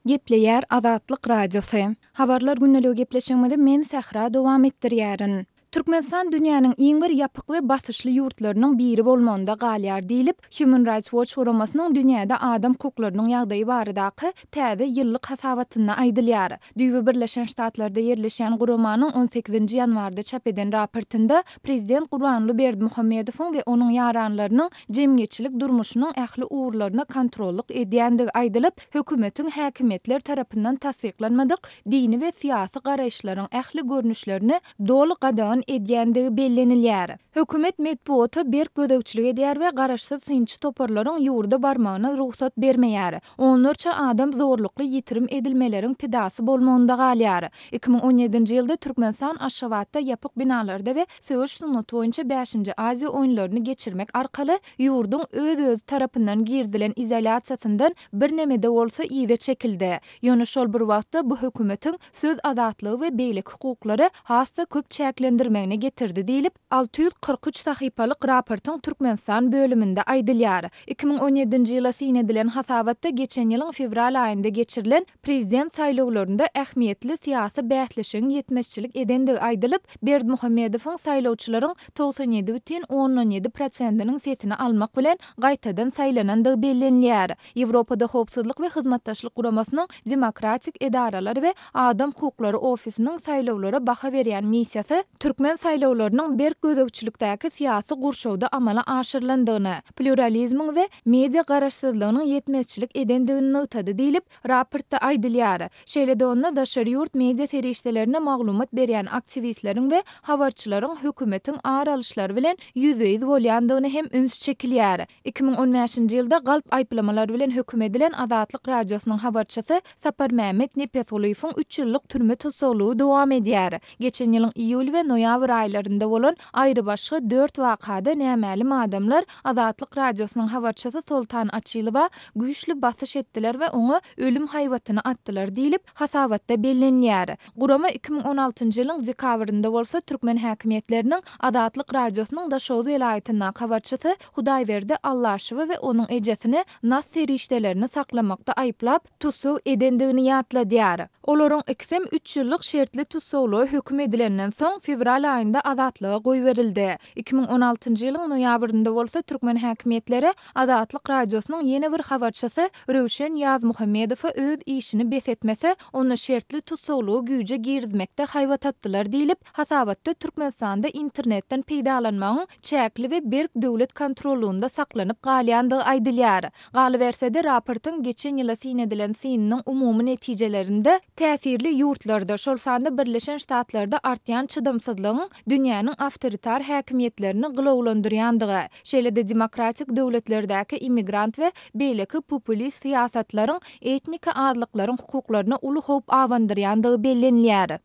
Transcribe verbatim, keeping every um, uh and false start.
Gepleýär Azatlyk Radiosy. Habarlar gündeligi gepleşigimizi men Sähra dowam etdirýärin. Türkmenistan dünýäniň iň bir ýapyk we basyşly ýurtlarynyň biri bolmagynda galýar diýlip, Human Rights Watch guramasynyň dünýäde adam hukuklarynyň ýagdaýy baradaky täze ýyllyk hasabatynda aýdylýar. Düýbi Birleşen Ştatlarda ýerleşýän guramanyň on sekizinji ýanwarda çap eden raportynda prezident Gurbanguly Berdimuhamedowyň we onuň ýaranlarynyň jemgyýetçilik durmuşynyň ähli ugurlaryna kontrollyk edýändigi aýdylyp, hökümetiň häkimiýetler tarapyndan tassyklanmadyk dini we syýasy garaýyşlaryň ähli görnüşlerini doly gadagan edýändigi bellenilýär. Hökümet metbugata berk gözegçilik edýär we garaşsyz synçy toparlaryň ýurda barmagyna rugsat bermeýär. Onlarça adam zorlukly ýitirim edilmeleriň pidasy bolmagynda galýar. Iki müň on ýedinji ýylda Türkmenistan Aşgabatda ýapyk binalarda we söweş sungaty boýunça bäşinji Aziýa oýunlaryny geçirmek arkaly ýurduň öz-özi tarapyndan girizilen izolýasiýasyndan birneme-de bolsa yza çekildi. Ýöne şol bir wagtda bu hökümetiň söz azatlygy we beýleki hukuklary has-da köp çäklendirmegine getirdi diýlip, alty ýüz kyrk üç sahypalyk raportyň Türkmenistan bölüminde aýdylýar. Iki müň on ýedinji ýyla syn edilen hasabatda geçen ýylyň fewral aýynda geçirilen prezident saýlawlarynda ähmiýetli syýasy bäsleşigiň ýetmezçilik edendigi aýdylyp, Berdimuhamedowyň saýlawçylaryň togsan ýedi bütin ondan ýedi prosentiniň sesini almak bilen gaýtadan saýlanandygy bellenilýär. Ýewropada Howpsuzlyk we Hyzmatdaşlyk Guramasynyň Demokratik edaralar we adam hukuklary ofisiniň saýlawlara baha berýän missiýasy türkmen saýlawlarynyň berk gözegçilikdäki syýasy gurşawda amala aşyrylandygyny, plýuralizmiň we media garaşsyzlygynyň ýetmezçilik edendigini nygtady diýlip, raportda aýdylýar. Şeýle-de onda daşary ýurt media serişdelerine maglumat berýän aktiwistleriň we habarçylaryň hökümetiň ar alyşlary bilen ýüzbe-ýüz bolýandygyna hem üns çekilýär. Iki müň on bäşinji ýylda galp aýyplamalar bilen höküm edilen Azatlyk Radiosynyň habarçysy Saparmämmet Nepesgulyýewiň üç ýyllyk türme tussaglygy dowam edýär. Geçen ýylyň iýul we noýabr aýlarynda bolan aýrybaşga dört wakada nämälim adamlar Azatlyk Radiosynyň habarçysy Soltan Açylowa güýçli basyş etdiler we oňa ölüm haýbatyny atdylar diýlip, hasabatda bellenilýär. Gurama iki müň on altynjy ýylyň dekabrynda bolsa türkmen häkimiýetleriniň Azatlyk Radiosynyň Daşoguz welaýatyndaky habarçysy Hudaýberdi Allaşowy we onuň ejesini nas serişdelerini saklamakda aýyplap, tussag edendigini ýatladýar. Olaryň ikisem üç ýyllyk şertli tussaglyga höküm edilenden soň, fewral aýynda azatlyga goýberildi. Iki müň on altynjy ýylyň noýabrynda bolsa türkmen häkimiýetleri Azatlyk Radiosynyň ýene bir habarçysy Röwşen Ýazmuhammedowa öz işini bes etmese, onda şertli tussaglygy güýje girizmekde haýbat atdylar diýlip, hasabatda Türkmenistanda internetden peýdalanmagyň çäkli we berk döwlet kontrollygynda saklanyp galýandygy aýdylýar. Galyberse-de, raportyň geçen ýyla syn edilen synynyň umumy netijelerinde täsirli ýurtlarda, şol sanda Birleşen Ştatlarda artýan çydamsyzlygyň dünýäniň awtoritar häkimiýetlerini gylawlandyrýandygy, şeýle-de demokratik döwletlerdäki immigrant we beýleki populist syýasatlaryň etniki azlyklaryň hukuklaryna uly howp abandyrýandygy bellenilýär.